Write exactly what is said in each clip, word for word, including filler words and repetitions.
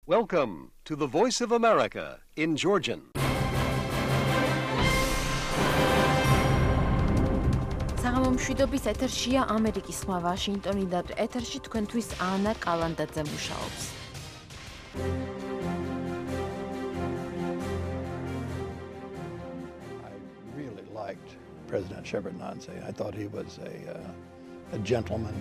Welcome to the Voice of America in Georgian. საღამომშვიდობის ეთერშია ამერიკის ხმა ვაშინგტონიდან. ეთერში თქვენთვის ანა კალანდაძე მუშაობს. I really liked President Shevardnadze. I thought he was a uh, a gentleman.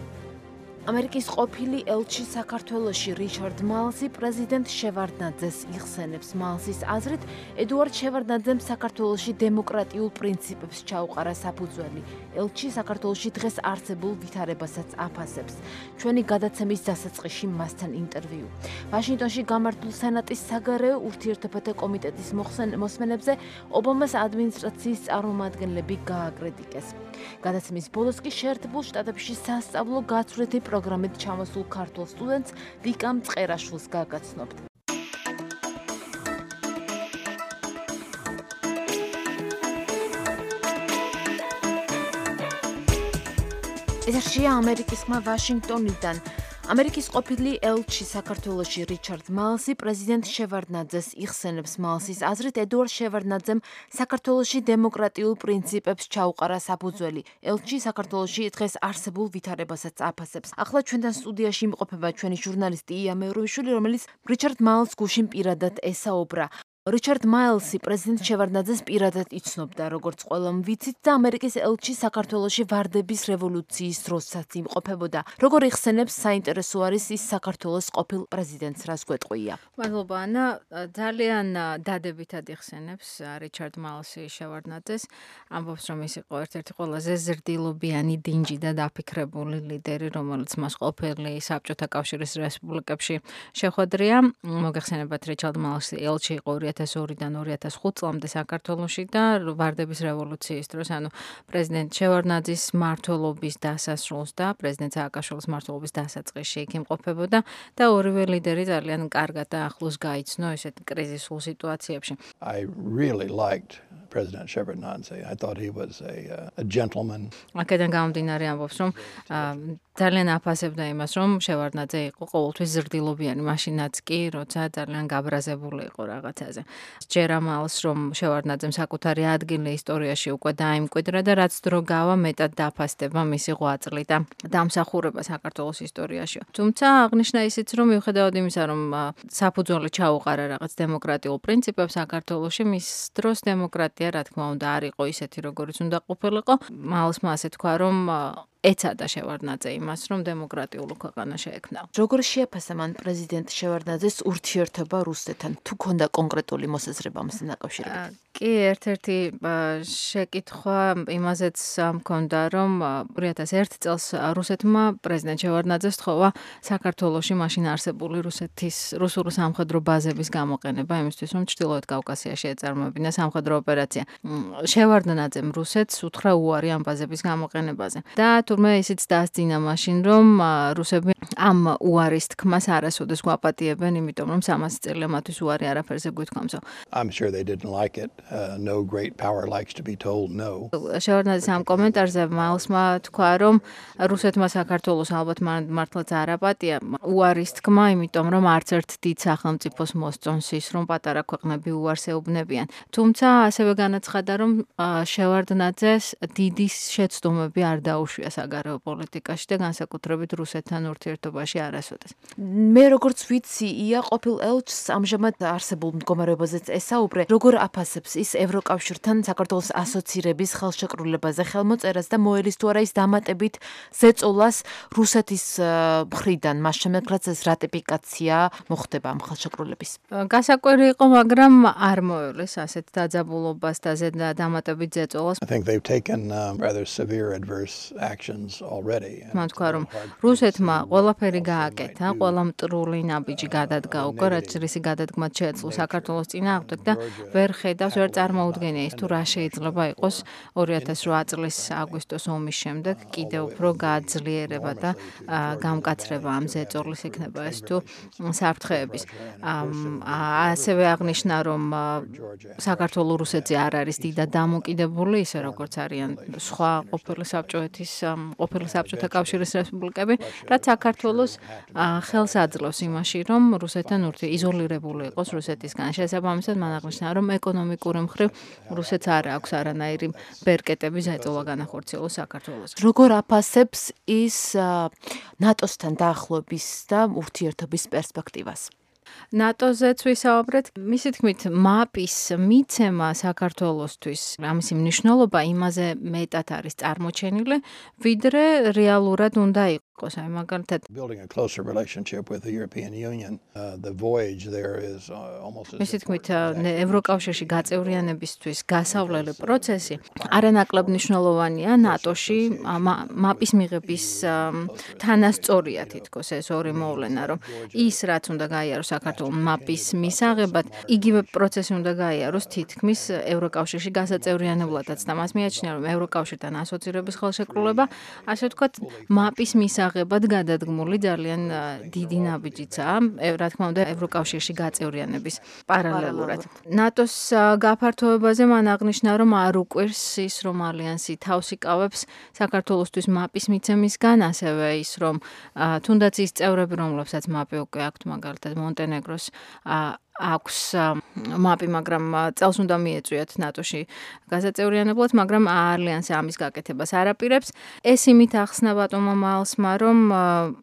ამერიკის ყოფილი ელჩი საქართველოში რიჩარდ მალსი პრეზიდენტ შევარდნაძეს იხსენებს. მალსის აზრით, ედუარდ შევარდნაძემ საქართველოში დემოკრატიულ პრინციპებს ჩაუყარა საფუძველი. ელჩი საქართველოში დღეს არსებულ ვითარებასაც აფასებს. ჩვენი გადაცემის დასაწყისში მასთან ინტერვიუ. ვაშინგტონში გამართულ სენატის საგარეო ურთიერთობათა კომიტეტის მოსმენებზე ობამას ადმინისტრაციის წარმომადგენლები გააკრიტიკეს. გადაცემის ბოლოს კი შეერთებულ შტატებში სასწავლო გაცვლითი პროგრამით ჩამოსულ ქართულ სტუდენტს ვიკა მწყერაშვილს გაგაცნობთ. ეთერშია ამერიკის ხმა ვაშინგტონიდან. ამერიკის ყოფილი ელჩი საქართველოში რიჩარდ მალსი პრეზიდენტ შევარდნაძეს იხსენებს. მალსის აზრით, ედუარდ შევარდნაძემ საქართველოში დემოკრატიულ პრინციპებს ჩაუყარა საფუძველი. ელჩი საქართველოში დღეს არსებულ ვითარებასაც აფასებს. ახლა ჩვენთან სტუდიაში იმყოფება ჩვენი ჟურნალისტი ია მეურვიშვილი, რომელიც რიჩარდ მალსს გუშინ პირადად ესაუბრა. რიჩარდ მალსი პრეზიდენტ შევარდნაძეს პირადად იცნობდა, როგორც ყველამ ვიცით, და ამერიკის ელჩი საქართველოში ვარდების რევოლუციის დროსაც იმყოფებოდა. როგორ იხსენებს, საინტერესო არის ის საქართველოს ყოფილ პრეზიდენტს, რას გვეტყვია. მადლობა ანა, ძალიან დადებითად იხსენებს რიჩარდ მალსი შევარდნაძეს. ამბობს, რომ ის იყო ერთ-ერთი ყველაზე ზრდილობიანი, დინჯი და დაფიქრებული ლიდერი, რომელიც მას ყოფილი საბჭოთა კავშირის რესპუბლიკებში შეხვედრია. მოგეხსენებათ, რიჩარდ მალსი ელჩი იყო ორი ათას ორიდან ორი ათას ხუთ წლამდე საქართველოში და ვარდების რევოლუციის დროს, ანუ პრეზიდენტ შევარდნაძის მმართველობის დასასრულს და პრეზიდენტ სააკაშვილის მმართველობის დასაწყისში იქ იმყოფებოდა და ორივე ლიდერი ძალიან კარგად და ახლოს გაიცნო ესეთ კრიზისულ სიტუაციებში. I really liked President Shevardnadze. I thought he was a uh, a gentleman. აქედან გამომდინარე ამბობს, რომ ძალიან აფასებდა იმას, რომ შევარდნაძე იყო ყოველთვის ზრდილობიანი, მაშინაც კი, როცა ძალიან გაბრაზებული იყო რაღაცაზე. ჯერა მალს, რომ შევარდნაძემ საკუთარი ადგილი ისტორიაში უკვე დაიმკვიდრა და რაც დრო გავა, მეტად დაფასდება მისი ღვაწლი და დამსახურება საქართველოს ისტორიაში. თუმცა აღნიშნა ისიც, რომ მიუხედავად იმისა, რომ საფუძველი ჩაუყარა რაღაც დემოკრატიულ პრინციპებს საქართველოში, მის დროს დემოკრატია, რა თქმა უნდა, არ იყო ისეთი, როგორიც უნდა ყოფილიყო. მალსმა ასე თქვა, რომ ეცადა შევარდნაძე იმას, რომ დემოკრატიული ქვეყანა შეექმნა. როგორ შეაფასა მან პრეზიდენტ შევარდნაძეს ურთიერთობა რუსეთთან? თუ ქონდა კონკრეტული მოსაზრება ამასთან დაკავშირებით? კი, ერთ-ერთი შეკითხვა იმაზეც მქონდა, რომ ორი ათას ერთ წელს რუსეთმა პრეზიდენტ შევარდნაძეს თხოვა საქართველოში მაშინ არსებული რუსეთის რუსული სამხედრო ბაზების გამოყენება იმისთვის, რომ ჩრდილოეთ კავკასიაში ეწარმოებინა სამხედრო ოპერაცია. შევარდნაძემ რუსეთს უთხრა უარი ამ ბაზების გამოყენებაზე და თურმე ისიც დაასძინა მაშინ, რომ რუსები ამ უარის თქმას არასოდეს გვაპატიებენ, იმიტომ რომ სამასი წელია მათთვის უარი არაფერზე გვითქვამსო. I'm sure they didn't like it. Uh, no great power likes to be told no. შევარდნაძის ამ კომენტარზე მალსმა თქვა, რომ რუსეთმა საქართველოს ალბათ მართლაც არ აპატია უარის თქმა, იმიტომ რომ არც ერთ დიდ სახელმწიფოს მოსწონს ის, რომ პატარა ქვეყნები უარს ეუბნებიან. თუმცა ასევე განაცხადა, რომ შევარდნაძეს დიდი შეცდომები არ დაუშვია საგარეო პოლიტიკაში და განსაკუთრებით რუსეთთან ურთიერთობაში არასოდეს. მე როგორც ვიცი, ია ყოფილ ელჩს ამჟამად არსებულ მდგომარეობაზეც ესაუბრე, როგორ აფასებს ის ევროკავშირთან საქართველოს ასოცირების ხელშეკრულებაზე ხელმოწერას და მოელის თუ არა ის დამატებით ზეწოლას რუსეთის მხრიდან, მას შემდეგ რაც ეს რატიფიკაცია მოხდება ამ ხელშეკრულების. გასაკვირი იყო, მაგრამ არ მოელის ასეთ დაძაბულობას და დამატებით ზეწოლას. I think they've taken uh, rather severe adverse actions already. მან თქვა, რომ რუსეთმა ყველაფერი გააკეთა, ყველა მტრული ნაბიჯი გადადგა უკვე, რაც რისი გადადგმაც შეეძლო საქართველოს წინააღმდეგ და ვერ ხედავს, ვერ წარმოუდგენია ის თუ რა შეიძლება იყოს ორი ათას რვა წლის აგვისტოს ომის შემდეგ კიდევ უფრო გააძლიერება და გამკაცრება ამ ზეწოლის იქნება ეს თუ საფრთხეების. ასევე აღნიშნა, რომ საქართველოს რუსეთზე არ არის დიდად დამოკიდებული, ისე როგორც არიან სხვა ყოფილი საბჭოეთის ყოფილი საბჭოთა კავშირის რესპუბლიკები, რაც საქართველოს ხელს აძლევს იმაში, რომ რუსეთთან ურთი იზოლირებული იყოს რუსეთისგან. შესაბამისად, მან აღნიშნა, რომ ეკონომიკური მხრივ რუსეთს არ აქვს არანაირი ბერკეტები ზეწოლა განახორციელოს საქართველოს. როგორ აფასებს ის ნატოსთან დაახლოების და ურთიერთობის პერსპექტივას? ნატოზეც ვისაუბრეთ, მისი თქმით, მაპის მიცემა საქართველოსთვის, ამისი მნიშვნელობა იმაზე მეტად არის წარმოჩენილი, ვიდრე რეალურად უნდა იყოს. აი მაგალითად, building a closer relationship with the European Union, uh, the voyage there is uh, almost as მისი თქმით, ევროკავშირში გაწევრიანებისთვის გასავლელი პროცესი არანაკლებ მნიშვნელოვანია ნატოში მაპის მიღების თანასწორია თითქოს ეს ორი მოვლენა, რომ ის რაც უნდა გაიაროს საქართველოს მაპის მისაღებად, იგივე პროცესი უნდა გაიაროს თითქმის ევროკავშირში გასაწევრიანებლადაც და მას მიაჩნია, რომ ევროკავშირთან ასოცირების ხელშეკრულება, ასე ვთქვათ, მაპის მისაღებად გადადგმული ძალიან დიდი ნაბიჯიცაა, რა თქმა უნდა, ევროკავშირში გაწევრიანების პარალელურად. ნატოს გაფართოებაზე მან აღნიშნა, რომ არ უკვირს ის, რომ ალიანსი თავს იკავებს საქართველოსთვის მაპის მიცემისგან, ასევე ის, რომ თუნდაც ის წევრები, რომლებსაც მაპი უკვე აქვთ, მაგალითად მონტენეგროს აქვს მაპი, მაგრამ წელს უნდა მიეწვიათ ნატოში გასაწევრიანებლად, მაგრამ ალიანსი ამის გაკეთებას არ აპირებს. ეს იმით ახსნა ბატონმა მაილსმა, რომ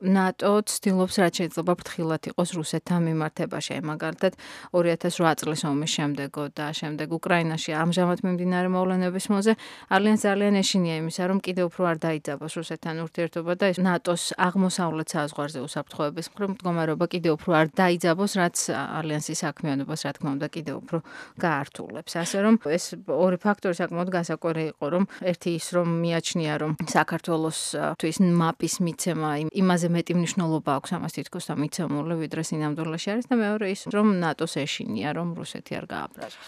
ნატო ცდილობს რაც შეიძლება ფრთხილად იყოს რუსეთთან მიმართებაში. აი მაგალითად ორი ათას ოთხ წლის ომის შემდეგ და შემდეგ უკრაინაში ამჟამად მიმდინარე მოვლენების მოზე ალიანსს ძალიან ეშინია იმისა, რომ კიდევ უფრო არ დაიძაბოს რუსეთთან ურთიერთობა და ნატოს აღმოსავლეთ საზღვარზე უსაფრთხოების მხრივ მდგომარეობა კიდევ უფრო არ დაიძაბოს, რაც ალიანსის საქმიანობას რა თქმა უნდა კიდევ უფრო გაართულებს. ასე რომ ეს ორი ფაქტორი საკმაოდ გასაკვირი იყო, რომ ერთი ის რომ მიაჩნია, რომ საქართველოსთვის მაპის მიცემა იმაზე მეტი მნიშვნელობა აქვს ამას თითქოს და მიცემული, ვიდრე სინამდვილეში არის და მეორე ის, რომ ნატოს ეშინია, რომ რუსეთი არ გააბრაზოს.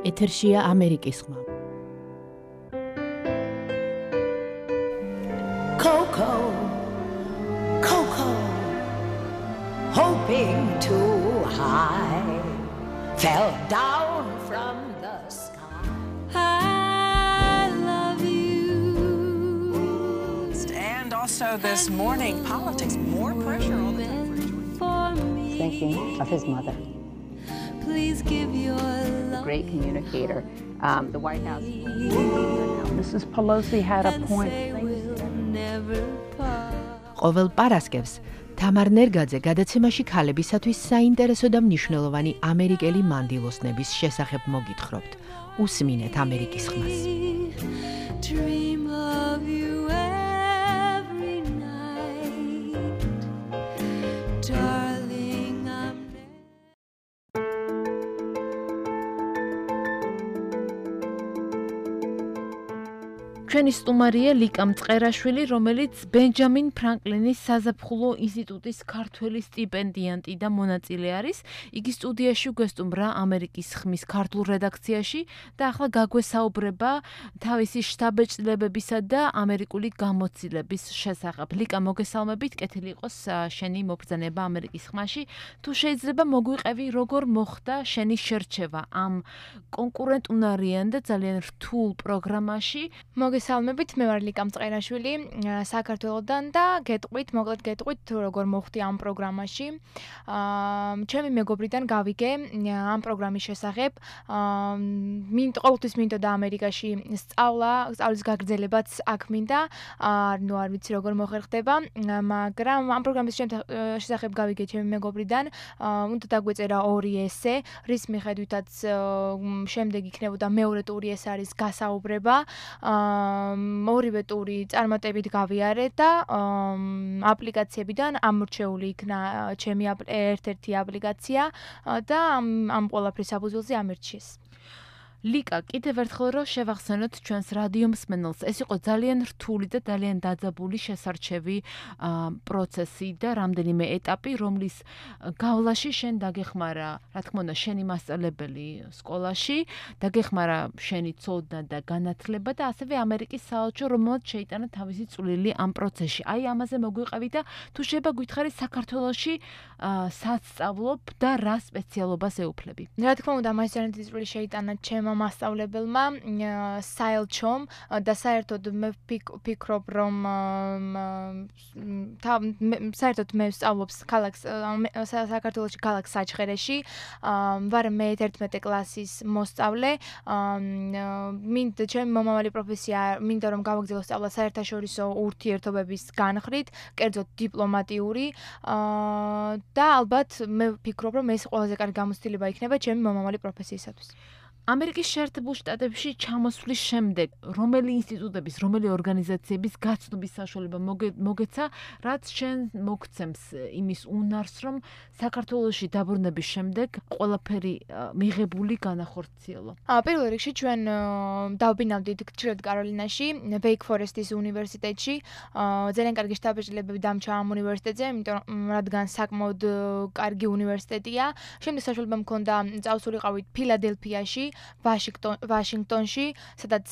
ეთერშია ამერიკის ხმა. Coco, Coco, hoping too high, fell down from the sky. I love you. And also this morning, politics, more pressure all the time for George. Thinking of his mother. Please give your love. Great communicator. Um, the White House. Missus Pelosi had a point. ყოველ პარასკევს თამარ ნერგაძე გადაცემაში ქალებისათვის საინტერესო და მნიშვნელოვანი ამერიკელი მანდილოსნების შესახებ მოგითხრობთ. უსმინეთ ამერიკის ხმას. Dream of you every night, darling, I'm ჩვენი სტუმარია ლიკა მწყერაშვილი, რომელიც ბენჯამინ ფრანკლინის საზაფხულო ინსტიტუტის ქართველი სტიპენდიანტი და მონაწილე არის. იგი სტუდიაში გვესტუმრა ამერიკის ხმის ქართულ რედაქციაში და ახლა გაგვესაუბრება თავისი შთაბეჭდილებებისა და ამერიკული გამოცდილების შესახებ. ლიკა, მოგესალმებით, კეთილი იყოს შენი მობრძანება ამერიკის ხმაში. თუ შეიძლება მოგვიყევი, როგორ მოხდა შენი შერჩევა ამ კონკურენტუნარიან და ძალიან რთულ პროგრამაში? მოგესალმებით, მე ვარ ლიკა მწყერაშვილი საქართველოდან და გეტყვით, მოკლედ გეტყვით თუ როგორ მოხდი ამ პროგრამაში. აა ჩემი მეგობრიდან გავიგე ამ პროგრამის შესახებ. აა მინ ყოველთვის მინდოდა ამერიკაში სწავლა, სწავლის გაგრძელებაც აქ მინდა. აა ნუ არ ვიცი როგორ მოხერხდება, მაგრამ ამ პროგრამის შესახებ გავიგე ჩემი მეგობრიდან. აა უნდა დაგვეწერა ორი ესე, რის მიხედვითაც შემდეგ იქნებოდა მეორე ტური, ეს არის გასაუბრება. ორივე ტური წარმატებით გავიარე და აპლიკაციებიდან ამორჩეული იქნა ჩემი ერთ-ერთი აპლიკაცია და ამ ყველაფრის საფუძველზე ამერჩიეს. ლიკა, კიდევ ერთხელ რომ შევახსენოთ ჩვენს რადიო მსმენელს, ეს იყო ძალიან რთული და ძალიან დაძაბული შესარჩევი პროცესი და რამდენიმე ეტაპი, რომლის გავლაში შენ დაგეხმარა, რა თქმა უნდა, შენი მასწავლებელი სკოლაში, დაგეხმარა შენი ცოდნა და განათლება და ასევე ამერიკის საელჩო, რომელსაც შეიტანა თავისი წვლილი ამ პროცესში. აი ამაზე მოგვიყევი და თუ შეიძლება გითხარი საქართველოში სად სწავლობ და რა სპეციალობას ეუფლები? რა თქმა უნდა, მას ძალიან დიდი წვლილი შეიტანა ჩემ ამ მასწავლებელმა საელჩომ და საერთოდ მე ვფიქრობ რომ საერთოდ მე ვსწავლობს ქალაქს საქართველოში ქალაქ საჩხერეში ვარ მე ერთმეტე კლასის მოსწავლე მინდა ჩემი მომავალი პროფესია მინდა რომ გავაგრძელო სწავლა საერთაშორისო ურთიერთობების განხრით კერძოდ დიპლომატიური და ალბათ მე ვფიქრობ რომ ეს ყველაზე კარგი გამოცდილება იქნება ჩემი მომავალი პროფესიისათვის. ამერიკის შეერთებულ შტატებში ჩამოსვლის შემდეგ რომელი ინსტიტუტების, რომელი ორგანიზაციების გაცნობის საშუალება მოგეცა, რაც შენ მოგცემს იმის უნარს, რომ საქართველოში დაბრუნების შემდეგ ყველაფერი მიღებული განახორციელო. პირველ რიგში ჩვენ დავბინავდით გრჩილად კაროლინაში, Wake Forest-ის უნივერსიტეტში. ძალიან კარგი შტაბ-ბიჭებები დამჭა ამ უნივერსიტეტზე, იმიტომ რადგან საკმაოდ კარგი უნივერსიტეტია. შემდეგ საშუალება მქონდა წავსულიყავით ფილადელფიაში, ვაშინგტონში, სადაც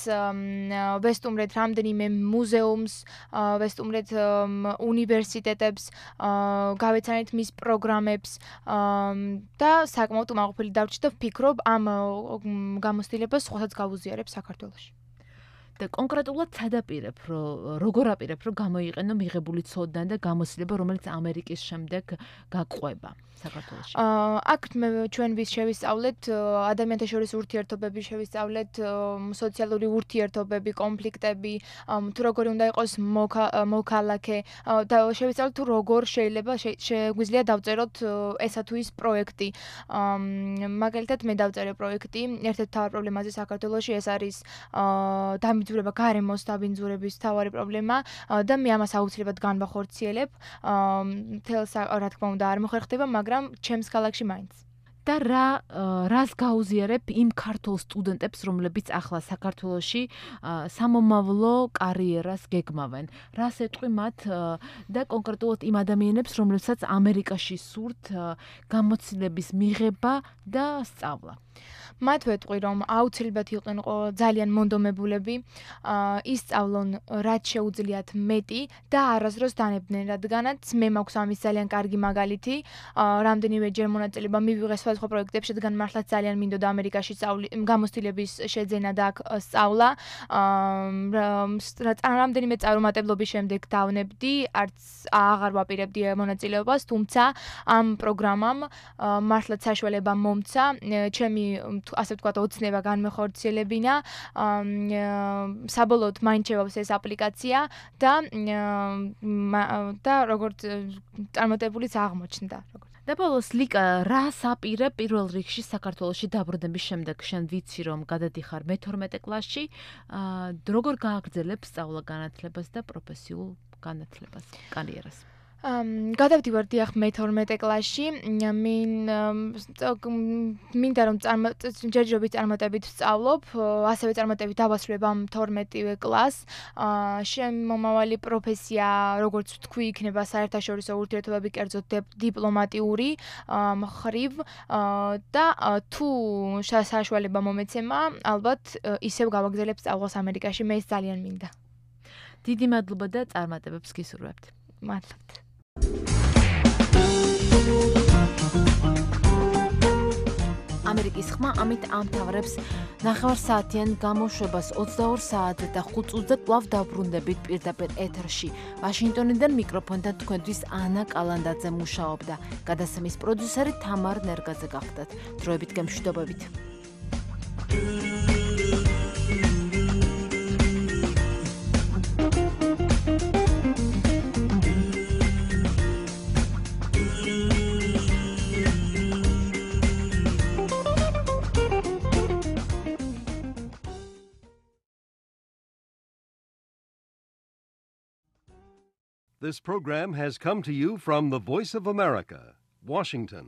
ვესტუმრეთ რამდენიმე მუზეუმს, ვესტუმრეთ უნივერსიტეტებს, გავეცანით მის პროგრამებს და საკმაოდ უმაღლელი დავრჩით და ვფიქრობ ამ გამოცდილებას სხვასაც გავუზიარებ საქართველოში. და კონკრეტულად სადაპირებ, რომ როგორ აპირებ, რომ გამოიყენო მიღებული ცოდნა და გამოცდილება, რომელიც ამერიკის შემდეგ გაყვება საქართველოში. აქ მე ჩვენ ვის შევისწავლეთ ადამიანთა შორის ურთიერთობები, შევისწავლეთ სოციალური ურთიერთობები, კონფლიქტები, თუ როგორი უნდა იყოს მოქალაქე და შევისწავლეთ თუ როგორ შეიძლება შეგვიძლია დავწეროთ ესა თუ ის პროექტი. მაგალითად მე დავწერე პროექტი ერთ-ერთ მთავარ პრობლემაზე საქართველოში ეს არის დამბინძურება, გარემოს დამბინძურების მთავარი პრობლემა და მე ამას აუცილებლად განვახორციელებ. თელს რა თქმა უნდა არ მოხერხდება, მაგრამ ჩემს ქალაქში მაინც. და რა რას გაუზიარებ იმ ქართულ სტუდენტებს, რომლებიც ახლა საქართველოში სამომავლო კარიერას გეგმავენ? რას ეტყვი მათ და კონკრეტულად იმ ადამიანებს, რომლებსაც ამერიკაში სურთ გამოცდილების მიღება და სწავლა? მათ ვეტყვი რომ აუცილებლად იყვნენ ძალიან მონდომებულები, ისწავლონ რაც შეუძლიათ მეტი და არასდროს დანებდნენ, რადგანაც მე მაქვს ამის ძალიან კარგი მაგალითი. რამდენიმეჯერ მონაწილეობა მივიღე სხვადასხვა პროექტებში, რადგან მართლაც ძალიან მინდოდა ამერიკაში გამოცდილების შეძენა და აქ სწავლა. რამდენიმე წარუმატებლობის შემდეგ დავნებდი, არც აღარ ვაპირებდი მონაწილეობას, თუმცა ამ პროგრამამ მართლაც საშუალება მომცა ჩემი ასე ვთქვათ, ოცნება განმეხორციელებინა, საბოლოოდ მაინც შევავს ეს აპლიკაცია და და როგორც წარმატებულიც აღმოჩნდა. და ბოლოს ლიკა, რას აპირებ პირველ რიგში საქართველოში დაბრუნების შემდეგ? შენ ვიცი რომ გადადიხარ მეთორმეტე კლასში, როგორ გააგრძელებ სწავლა-განათლებას და პროფესიულ განათლებას, კარიერას? გადავდივარ დიახ მეთორმეტე კლასში. მინ მინდა რომ ჯერჯერობით წარმატებით ვსწავლობ, ასევე წარმატებით დავასრულებ ამ თორმეტივე კლასს. ჩემი მომავალი პროფესია, როგორც ვთქვი, იქნება საერთაშორისო ურთიერთობები, კერძოდ დიპლომატიური მხრივ და თუ საშუალება მომეცემა, ალბათ ისევ გავაგრძელებ სწავლას ამერიკაში, მე ეს ძალიან მინდა. დიდი მადლობა და წარმატებებს გისურვებთ. მადლობთ. ამერიკის ხმა ამით ამთავრებს ნახევარსაათიან გამოშვებას ოცდაორ საათზე და ხუთ წუთზე კვლავ დაბრუნდებით პირდაპირ ეთერში. ვაშინგტონიდან მიკროფონთან თქვენთვის ანა კალანდაძე მუშაობდა. გადასცემის პროდიუსერი თამარ ნერგაძე გახდათ. დროებით გემშვიდობებით. This program has come to you from the Voice of America, Washington.